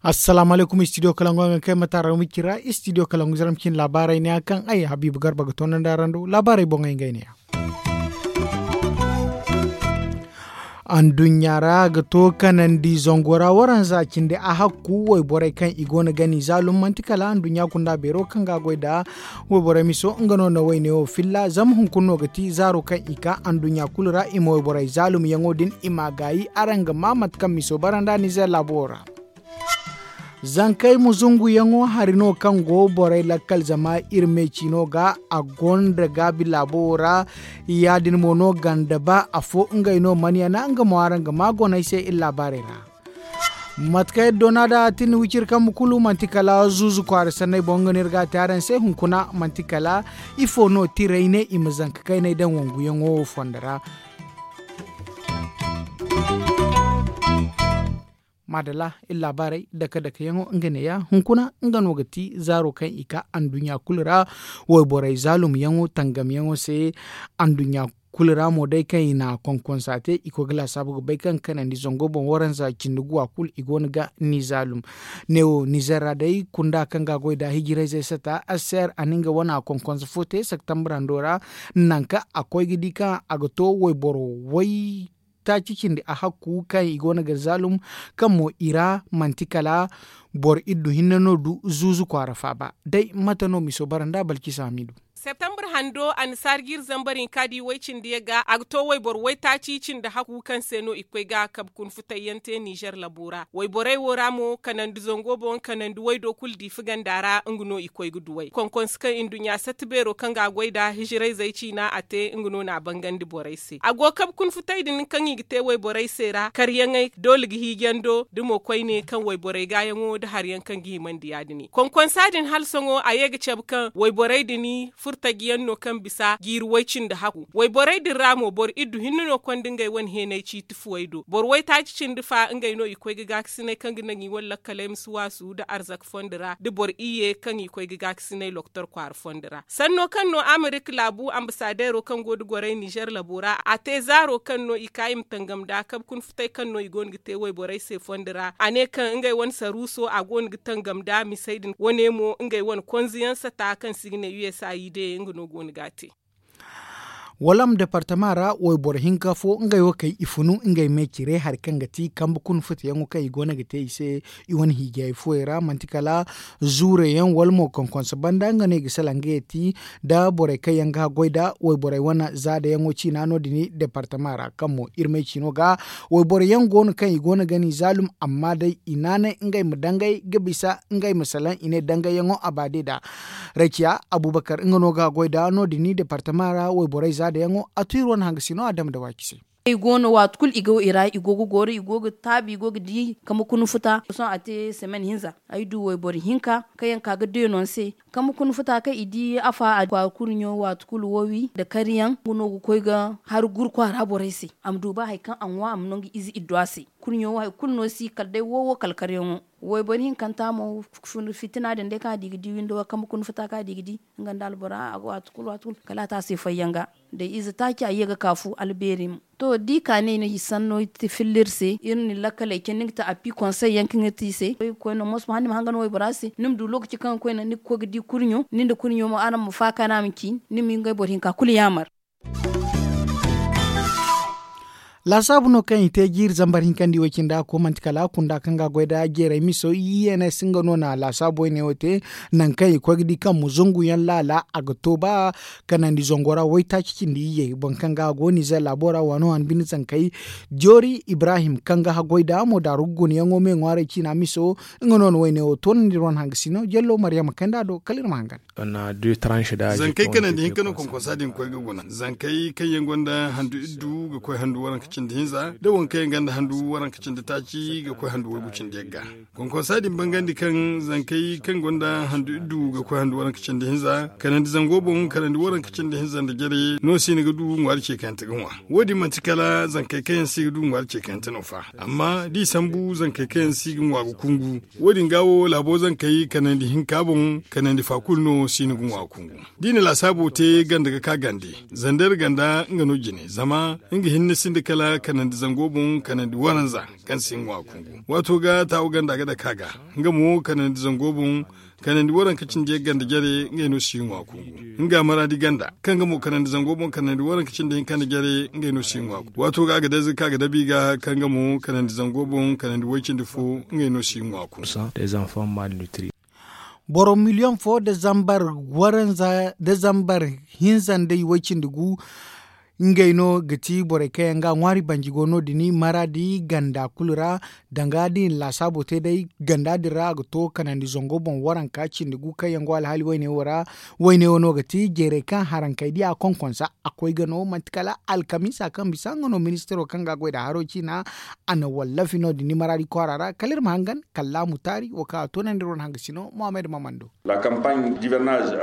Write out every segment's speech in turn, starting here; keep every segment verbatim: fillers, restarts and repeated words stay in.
Assalaamu alaykum, istidiyo kalangu a ga kay mataara wicira istidiyo kalangu zaram cin laabaarey ne a kaŋ ay habiibu garba ga toonandi araŋ do laabaarey boŋey ngey ne ya. Anduɲɲa ra ga to kanandi zango ra waranza cindi a hakku wayborey kaŋ i go no ga ni zaalum manti kala anduɲɲa kunda beero kaŋ ga a goy nda wayborey miso nga no na wayne wo filla zama hunkuna no ga ti zaaro kaŋ i ka anduɲɲa kulu ra i ma wayborey zaalum yaŋo din i ma a gaayi araŋ ga ma mate kaŋ miso bara nda nizer laabo wo ra. Zankey muzunguyaŋo hari no kaŋ go borey lakkal zama iri me ciino ga a gonda gaabi laabo wo ra. Ya- din mo no ganda ba afo ngey no mana yana nga mo araŋ ga ma goney se iri laabaarey ra. Mate kaŋ iri doona da a tin wiciri kambe kulu manti kala zuuzu kwaara sanney boŋ nga no iri ga a te araŋ se hunkuna manti kala ifo no tiray ne i ma zanka kayney daŋ wanguyaŋo fondo ra. Maadalla iri laabaarey dake dake yaŋo nga neeya hunkuna nga no ga ti zaaro kaŋ i ka anduɲɲa kulu ra. Wayborey zaalum yaŋo tangam yaŋo se anduɲɲa kulu ra mo day kaŋ i na konkonsa te i koy ga laasaabu ga bay kaŋ kanandi zango boŋ waranza cindi guwa kulu i go no ga ni zaalum. Neewo nizer ra day kunda kaŋ ga a goy nda hijirayzey sata aser a na nga wane konkonsa fo te septembre hando ra. Nanka a koy ga di kaŋ a ga to wayboro way taaci cindi a hakku kaŋ i go no ga zaalum kaŋ mo i ra manti kala boro iddu hinne no du zuuzu kwaara faaba. Day mate no miso bara nda balkisa hamidu. Septembre hando annasaara ga iri zambar hinka di way cindi yaŋ ga a ga to wayboro waytaaci cindi hakku kaŋ se no i ga koy ga kabe kuna futay yaŋ te nizer labo ra wayborey wo ra mo kanandi zango boŋ kanandi waydo kulu diifi ganda ra nga no i koy ga duw'ey konkonsi kaŋ i nduɲɲa satti beero kaŋ ga a goy nda hijirayzey ciina a te nga no na a bangandi borey se a go kabe kuna futay din kaŋ i ga te wayborey se ra karyaŋey doole ga hiijando da mo koyne kaŋ wayborey gaayaŋo nda hari yaŋ kaŋ ga himandi ya- din konkonsa din hala sohõ a ye ga cabe kaŋ wayborey din furtaji yaŋ no kaŋ bisa jiiri way cindi hakku wayborey din ra mo boro iddu hinne no konda ngey wane heenay ciiti fuwey do boro waytaaci cindi fa ngey no i koy ga gaakasinay kaŋ ga naŋ i wane lakkaley ma si waasu nda arzaka fondo ra da boro iyye kaŋ i koy ga gaakasinay loktor kwaara fondo ra sanno kaŋ no amerika laabu ambasadeero kaŋ go nda gorey nizer labo ra a te zaaro kaŋ no i ka i ma tangam nda kabe kuna futay kaŋ no i go no ga te wayborey se fondo ra a ne kaŋ ngey wane saruuso a go no ga tangam nda misey din wane mo ngey wane konze yaŋ sata kaŋ se i ga ne usaid nga no go no ga a te. Walam departama ra wayboro hinka fo ngey wo kay i funu ngey me cire hari kaŋ ga ti kambe kuna futa yaŋo kaŋ i go no ga te i se i wane hiijay fuwey ra manti kala zuure yaŋ wala mo konkonso banda nga no i ga salaŋ ga yeti nda borey kaŋ yaŋ ga goy nda wayborey wane zaada yaŋo ciina no- din departama ra kaŋ mo iri me ciino ga wayboro yaŋ go no kaŋ i go no ga ni zaalum amma day i naanay ngey ma dangay ga bisa ngey ma salaŋ i ne dangay yaŋo a ba day da. Rayciya abubakar nga no ga goy da no- din departama ra wayborey zaada yaŋo a tu iri wane hangasino a dama da waaci se. Ay go no waati kulu i go i ra i go ga goro i go ga taabi i go ga di kama kuna futa sohõ a te semen hinza ay du wayboro hinka kaŋ yaŋ ka ga deeno ni se kama kuna futa kaŋ i di afa a kwaara kurɲo waati kulu woowi nda kariyaŋ nga no ga koy ga hari guru kwaara borey se a ma du ba hari kaŋ a ŋwa a ma naŋ ga ize iddu a se kurɲo wo hari kulu no si kala day woowo kala kariyaŋo. Wayboro hinkanta mo fitina din day kaŋ a di ga di windo wo kama kuna futa kaŋ a di ga di nga nda albora waati kulu waati kulu kala a te a se fayyaŋ ga day ize taaci a ye ga kaafu albeeri mo. To da i ka ne i na i sanno filla iri se iri na ni lakkaley candi nga ti a pi konsey yaŋ kaŋ iri te i se koy ga koy no moso ma handi ma hanga no waybora se ni ma du lookaci kaŋ ga koy no ni ga koy ga di kurɲo ni nda kurɲo mo araŋ ma faaka no a ma ci ni ma ngey boro hinka kulu yaamar. Laasaabu no kaŋ i te jiiri zambar hinkandi wo cindi a ko manti kala kunda kaŋ ga a goy nda jeeray miso i ns nga no na laasaabu wayne wo te. Nangu kaŋ i koy ga di kaŋ muzungu yaŋ laala a ga to ba kanandi zango ra waytaaci cindi iyye boro kaŋ ga a go nizer laabo ra waano han bine zankey joori ibrahim kaŋ ga haggoy nda mo daaru ga guna yaŋo me ŋwaaray ciina miso. Nga no na wayne wo toonandi iri wane hangasino jallo maryama kaynd'a do kala iri ma hangan. Zankey kanandi hinka no konkonsa din ga koy ga guna zankey kaŋ yaŋ gonda handu iddu ga koy handu waranka. cindi hinza da wankey ganda handu waranka cindi taaci ga koy handu waygu cindi yagga. Konkonsa din bangandi kaŋ zankey kaŋ gonda handu iddu ga koy handu waranka cindi hinza kanandi zango boŋ kanandi waranka cindi hinza nda jare no si ni ga du ŋwaari ce kayante ga ŋwa. Wo- din manti kala zankey kaŋ yaŋ si ga du ŋwaari ce kayante no fa, amma da i sambu zankey kaŋ yaŋ si ga ŋwa ga kungu. Wo- din ga wo laabo zankey kanandi hinka boŋ kanandi fa kulu no si ni ga ŋwa ga kungu. Da i na laasaabo te ganda ga ka gande, zandeer ganda nga no jine zama nga hinne sinda kala kanandi zango boŋ kanandi waranza kaŋ si ŋwa kungu. Waato ga taawo ganda ga dake a ga, nga mo kanandi zango boŋ kanandi waranka cindi yagga nda jare ngey no si ŋwa kungu. Nga maraadi ganda kaŋ ga mo kanandi zango boŋ kanandi waranka cindi hinka nda jare ngey no si ŋwa kungu. Waato ga a ga dayze ka ga dabi ga kaŋ ga mo kanandi zango boŋ kanandi way cindi fo ngey no si ŋwa kungu. Boro miliyoŋ fo da zambar waranza da zambar hinza nda iway cindi gu. Ngey no ga ti borey kaŋ yaŋ ga ŋwaari banji go no- din maraadi ganda kulu ra. Danga da i na laasaabo te day ganda din ra a ga to kanandi zango boŋ waranka cindi gu kaŋ yaŋ go alhaali wayne wo ra. Wayne wo no ga ti jeerey kaŋ harankey di a konkonsa a koy ga no manti kala alkamiisa kaŋ bisa nga no ministiro kaŋ ga a goy nda haro ciina. A na wallafi no- din maraadi kwaara ra kala iri ma hangan kallaamu taari wo kaŋ a toonandi iri wane hangasino mohammed mamando.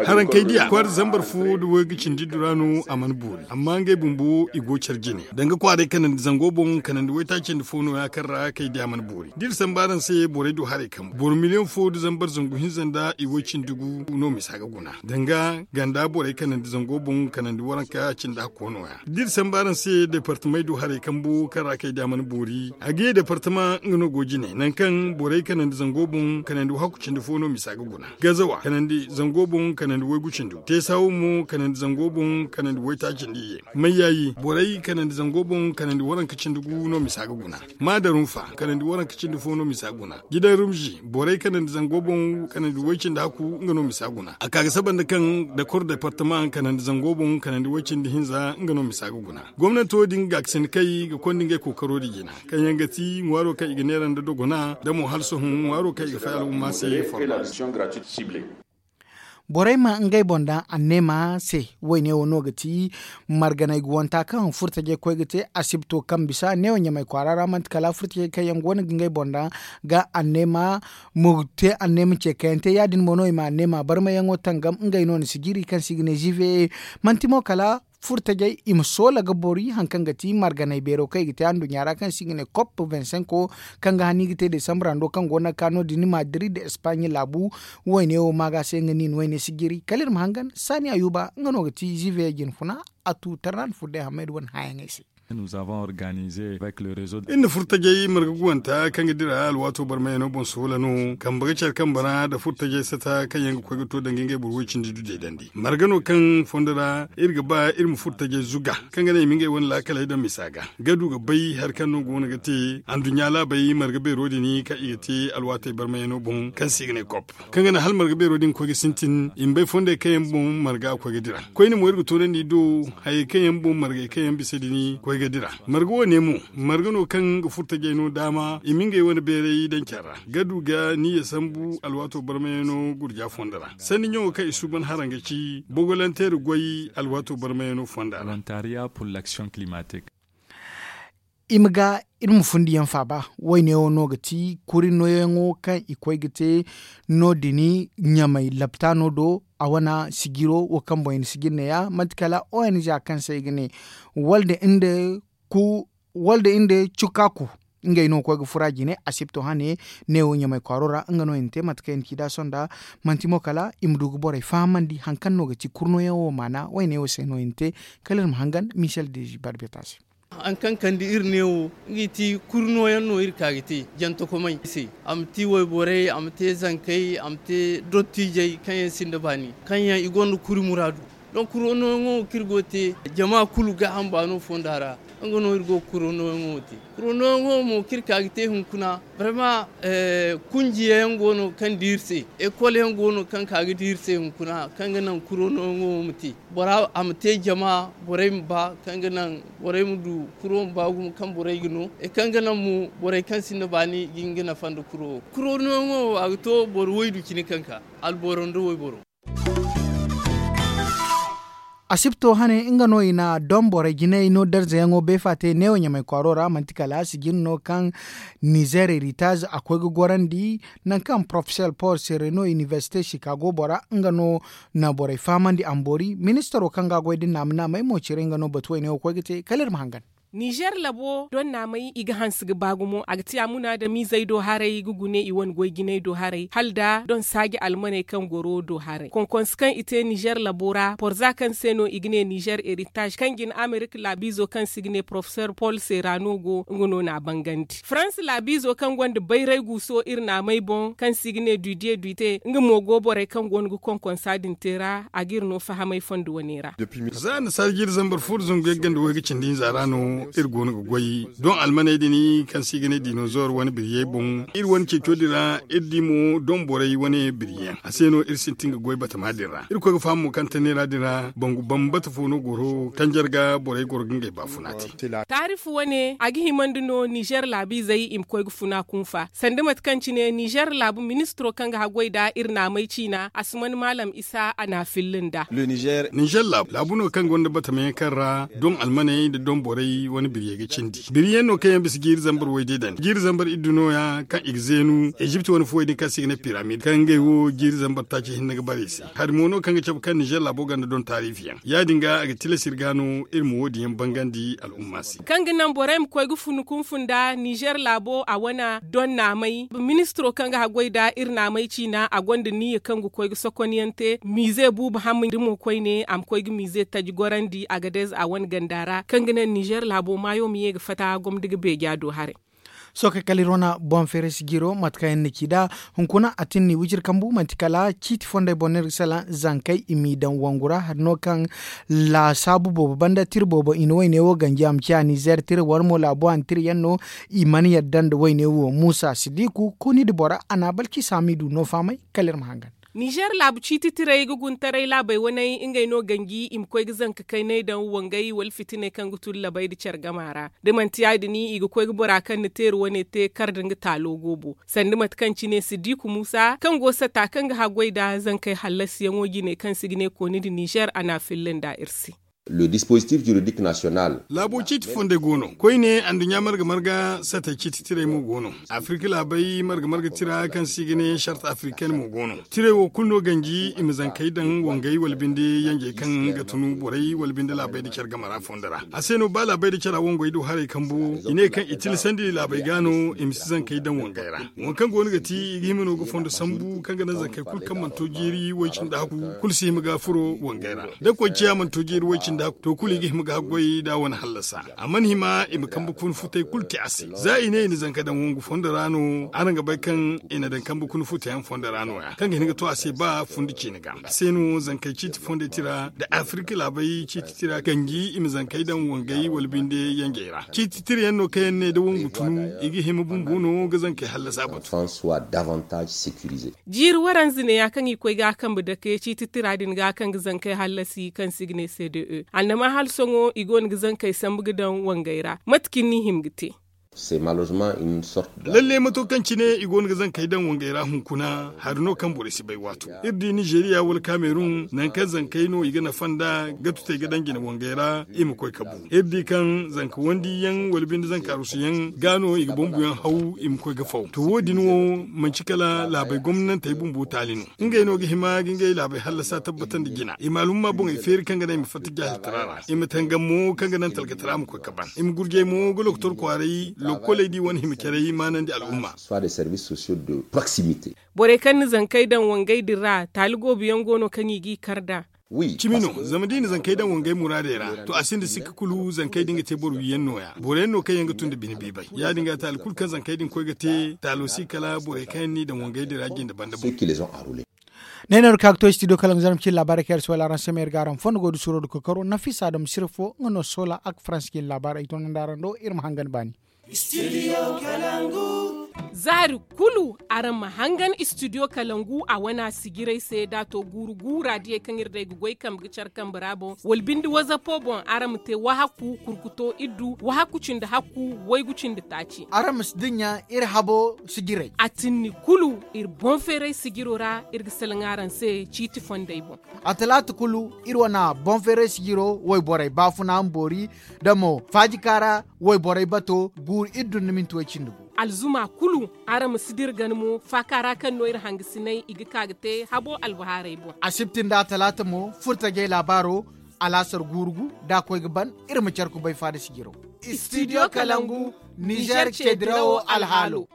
Harankey diya kwaara zambar fo da waygu cindi dura no a mana boori amma ngey bumbo i go care jine danga kwaaray kanandi zango boŋ kanandi waytaacindi fo no- ya kaŋ ra kay diya mana boori da iri samba araŋ se borey du haray kambu boro miliyoŋ fo da zambar zangu hinza nda i way cindi gu no misa ga guna danga ganda borey kanandi zango boŋ kanandi waranka cindi hakko no- ya da iri samba araŋ se deepartamey du haray kambu kaŋ ra kay diya mana boori a ga ye deepartama nga no go jine nangu kaŋ borey kanandi zango boŋ kanandi wahakku cindi fo no misa ga guna. Gazawa kanandi zango boŋ kanandi waygu cindi teesawo mo kanandi zango boŋ kanandi waytaaci nda iyye. Mayyayi borey kanandi zango boŋ kanandi waranka cindi gu no misa ga guna. Maadarunfa kanandi waranka cindi fo no misa ga guna. Jidan rumzi borey kanandi zango boŋ kanandi way cindi hakku nga no misa ga guna a ka ga saba nda kaŋ dakor deepartama kanandi zango boŋ kanandi way cindi hinza nga no misa ga guna. Gomnanto din ga ga sinda kay ga konda ngey kookaro din jina kaŋ yaŋ ga ti ŋwaaro kaŋ i ga neera nda dogona da mo hala sohõ ŋwaaro kaŋ i ga fay al'umma se. Borey ma ngey boŋ daŋ anneema se. Wayne wo no ga ti marganay guwanta kaŋ furtajey koy ga te asibto kaŋ bisa neewo ɲamay kwaara ra manti kala furtajey kaŋ yaŋ go no ga ngey boŋ daŋ ga anneema ma te anneema ce kayante ya- din mo no i ma anneema barmayaŋo tangam ngey no na sijiri kaŋ se i ga ne zive manti mo kala furtajey i ma soola ga bori hari kaŋ ga ti marganay beero kaŋ i ga te anduɲɲa ra kaŋ se i ga ne kop vingt cinq kaŋ ga hani ga te desambra do kaŋ go no ga ka no- din madrid espaɲe laabu. Wayne wo maaga se nga no i na wayne si jiri kala iri ma hangan saani ayuba nga no ga ti zive jine funa. A tu tarnan furday hamayda wane hayaŋey se. Iri na furtajey marga guwanta kaŋ ga dira alwaato barmayano boŋ soola no kambe ga care kambe ra nda furtajey sata kaŋ yaŋ ga koy ga to danga ngey boro way cindi du deedandi marga no kaŋ fondo ra iri ga ba iri ma furtajey zuga kaŋ ga naŋ i ma ngey wane laakaley daŋ misa ga ga du ga bay hari kaŋ no go no ga te anduɲɲa laabey marga beero din kaŋ i ga te alwaatey barmayano boŋ kaŋ se i ga ne kop kaŋ ga naŋ hala marga beero din koy ga sintin i ma bay fondey kaŋ yaŋ boŋ marga koy ga dira koyne mo iri ga toonandi i do. Hayey kaŋ yaŋ boŋ margey kaŋ yaŋ bisa din koy ga dira marga wo- ne mo marga no kaŋ ga furtajey no daama i ma ngey wane beeray daŋ care ra ga du ga niyya sambu alwaato barmayano gurja fondo ra sanni ɲaŋo kaŋ i suuban haraŋ ga ci bogolanteeri goy alwaato barmayano fonda ra. I ma ga iri ma fundi yaŋ faaba wayne wo no ga ti kuri nooyaŋo kaŋ i koy ga te no- din ɲamay laptaano do a wane sijiro wo kaŋ boŋ i na sijiri ne- ya manti kala ong kaŋ se i ga ne wala da nda ku wala da nda cukaku ngey no ga koy ga fura jine asibto hane. Neewo ɲamay kwaaro ra nga no i na te mate kaŋ i na ci da sonda manti mo kala i ma du ga borey fahamandi hari kaŋ no ga ti kuri nooyaŋo wo maana wayne wo se no i na te. Kala iri ma hangan michel dezi barbeta se. Hari kaŋ kande iri neewo nga ti kuri nooyaŋ no iri ka ga te jantakomey se a ma ti wayborey a ma te zankey a ma te dottijey kaŋ yaŋ sinda baani kaŋ yaŋ i gonda kuri muraadu. Donk kuri nooyaŋo wo kaŋ iri go ga te jama kulu gaaham baano fonda ra. Nga no iri go ga kuri nooyaŋo wo te kuri nooyaŋo mo kaŋ iri ka ga te hunkuna barma kunjiya yaŋ go no kaŋ di iri se ekol yaŋ go no kaŋ ka ga di iri se hunkuna kaŋ ga naŋ kuri nooyaŋo wo ma te bora a ma te jama borey ma ba kaŋ ga naŋ borey ma du kuro ma ba gumo kaŋ borey ga no e kaŋ ga naŋ mo borey kaŋ sinda baani ga hin ga nafa nda kuro wo kuro nooyaŋo wo a ga to boro waydu cine kaŋ ka alboro nda wayboro. Asibto hane nga no i na doŋ borey jinay no darzayaŋo beefa te neewo ɲamay kwaaro ra manti kala sijin no kaŋ nizer heritage a koy ga gorandi, nangu kaŋ porofesor paul sereno inibersite chicago bora nga no na borey fahamandi a ma boori ministaro kaŋ ga a goy da naama naamey mo cire nga no batu wayne wo koy ga te kala iri ma hangan. Nizer labo doŋ naamey i ga hanse ga ba gumo a ga ti a muna da miizey do haray ga gune i wane goy jinay do haray hala da doŋ saaji almaney kaŋ goro do haray konkonse kaŋ i te nizer labo ra porza kaŋ se no i ga ne nizer heritage kaŋ jin amerika laabiizo kaŋ se i ga ne porofesor paul serano go nga no na a bangandi faransa laabiizo kaŋ gonda bayray guuso iri naamey boŋ kaŋ se i ga ne dudiye duite nga mo go borey kaŋ go no ga konkonsa din te ra a ga iri no fahamay fondo wane ra. Za annasaara jiiri zambar fo nda zangu yagga nda way ga cindi hinza ra no iri go no ga goy doŋ almaney din kaŋ se i ga ne dinozor wane biriyey boŋ iri wane ceeco din ra iri di mo doŋ borey wane biriyaŋ a se no iri sintin ga goy batama din ra iri koy ga faham mo kaŋ tanneera din ra bangu bambata fo no goro kaŋ jarga borey goro ga ngey baafuna te. Taarifu wane a ga himandi no nizer laabiizey i ma koy ga funa kunfa sanda mate kaŋ cine nizer laabu ministiro kaŋ ga haggoy nda iri naamey ciina a si man maalam isa a n'a filli nd'a. Nizer laabu no kaŋ gonda batamayaŋ kaŋ ra doŋ almaney nda doŋ borey wane biriyey ga cindi biriyaŋ no kaŋ yaŋ bisa jiiri zambar wayde dandi jiiri zambar iddu nooya kaŋ i ga zeenu ezipt wane fuwey din kaŋ se i ga ne piramid kaŋ ngey wo jiiri zambar taaci hinne ga bare i se hari mo no kaŋ ga cabe kaŋ nizer laabo gonda doŋ taariifiyaŋ ya- din ga a ga tilas iri ga no iri ma wo- din yaŋ bangandi al'umma se. Kaŋ ga naŋ borey ma koy ga funu kunfu nda nizer laabo a wane doŋ naamey ministiro kaŋ ga haggoy nda iri naamey ciina a gonda niyya kaŋ ga koy ga sokonyaŋ te miize buubu hamma nda mo koyne a ma koy ga miize taji gorandi a ga deeza a wane ganda ra kaŋ ga naŋ nizer laabo maayo ma ye ga fatta gomdi ga beeja do haray. Sookey kala iri wane boŋ feeray sijiro mate kaŋ yaŋ ni ci nd'a hunkuna a tin ni wiciri kambu manti kala ciiti fondey boŋ no iri ga salaŋ zankey i m'i daŋ wangu ra hari no kaŋ laasaabu boobo banda tira boobo i na wayne wo ganji a ma ciya nizer tira wala mo laabo hanno tira yaŋ no i mana yadda nda wayne wo muusa sidiku kuni nda bora a na balki saamidu no fahamay kala iri ma hangan. Nizer laabu ciiti tirey ga guntaray laabey waney ngey no ganji i ma koy ga zanka kayney daŋ wangey wala fitiney kaŋ ga tun labey nda care gama ra da manti ya- din i ga koy ga bora kaŋ na teeri wane te kar nda nga taalo goobo sanda mate kaŋ cine sidiku muusa kaŋ go satta kaŋ ga haggoy nda zankey hallasiyaŋo jine kaŋ se i ga ne kooni nda nizer a n'a filla nda iri se. Laabo ciiti fondey go no koyne anduɲɲa marga marga satey ciiti tirey mo go no. Afirka laabey marga marga tira kaŋ se i ga ne sart afrikaine mo go no. Tirey wo kulu no ganji i ma zankey daŋ wangey wala binde yanjey kaŋ ga tunu borey wala binde laabey nda care game ra fondo ra. A se no ba laabey nda cara wangey do haray kambu i ne kaŋ i tilasandi laabey ga no i ma si zankey daŋ wangey ra. Waŋ kaŋ go no ga ti i ga hima no ga fondo sambu kaŋ ga naŋ zankey kulu kaŋ mana to jeeri way cindi hakku kulu si hima ga furo wangey ra. Da koy ciya mana to jeeri way cindi hakku to kulu i ga hima ga haggoy da a wane hallasa. A mana hima i ma kambe kuna futey kulu te a se za i ne i na zanka daŋ wangu fondo ra no araŋ ga bay kaŋ i na daŋ kambe kuna futeyaŋ fondo ra no- ya kaŋ ga hin ga to a se ba fundi ciine ga a se no zankey ciiti fondey tira nda afirka laabey ciiti tira ganji i ma zankey daŋ wangey wala binde yanjey ra ciiti tira yaŋ no kaŋ yaŋ ne da wangu tunu i ga hima bumbo no ga zankey hallasa batu. Jiiri waranza neeya kaŋ i koy ga a kambe dake ciiti tira din ga kaŋ ga zankey hallasi kaŋ se i ga ne cde annama hala sohõ i go no ga zankey sambu ga daŋ wangey ra mate cine ni hima ga te? Lalle mato kaŋ cine i go no ga zankey daŋ wangey ra hunkuna hari no kaŋ borey si bay waato iri di nizeriya wala kamerun nangu kaŋ zankey no i ga nafa nda ga tutey ga daŋ jine wangey ra i ma koy ka bu iri di kaŋ zanka wandi yaŋ wala binde zanka arusu yaŋ ga no i ga bumbuyaŋ haw i ma koy ga faw to wo- din wo manci kala laabey gomnantey bumbo taali no. Ngey no ga hima ga ngey laabey hallasa tabbatandi jina i ma alhumma boŋey feeri kaŋ ga naŋ i ma fatta jaahiltara ra i ma tangam mo kaŋ ga naŋ talkatara ma koy ka ban i ma gurjay mo ga lokotor kwaaray lokkoley da i wane hima caray maanandi alhumma. Borey kaŋ na zankey daŋ wangey din ra taali goobu yaŋ go no kaŋ i g'i kar nd'a. Cimi no, zama da i na zankey daŋ wangey muraadey ra to a sinda sikka kulu zankey din ga te boro wiyaŋ no- ya boro yaŋ no kaŋ yaŋ ga tun nda bine biibay ya- din ga taali kulu kaŋ zankey din koy ga te taalo si kala borey kaŋ yaŋ n'i daŋ wangey din ra jinde banda boŋ. Ne no iri ka ga to studio kala nga zarma cine laabaarey kaŋ iri si wala araŋ se ma iri ga araŋ fondo goy da suuro da koy karo nafisa da ma sira fo nga no soola ak faransi cine laabaarey ay toonandi araŋ do iri ma hangan baani. Studio kalangu. Zaari kulu araŋ ma hangan istidiyo kalangu a wana sijiray se da a to guuru guura diyey kaŋ iri day ga goy kambe ga care kambe ra boŋ wala binde wazapo boŋ araŋ ma te wahaku kurkuto iddu wahaku cindi hakku waygu cindi taaci. Araŋ ma si dinya iri habo sijiray a tinni kulu iri boŋ feeray sijiro ra iri ga salaŋ araŋ se ciiti fondey boŋ. A talaata kulu iri wana boŋ feeray sijiro wayborey baafuna ma boori da mo faajika ra wayborey bato guuru iddu nda minti way cindi gu. Alzuma kulu araŋ ma si dira gana mo faaka ra kaŋ no iri hangasinay i ga ka ga te habo albahaarey boŋ. Asibti nda a talaata mo furtajey laabaaro alaasar guuru gu da a koy ga ban iri ma care kubay faada sijiro. Istidiyo kalangu nizer ceedirawo alhaalo.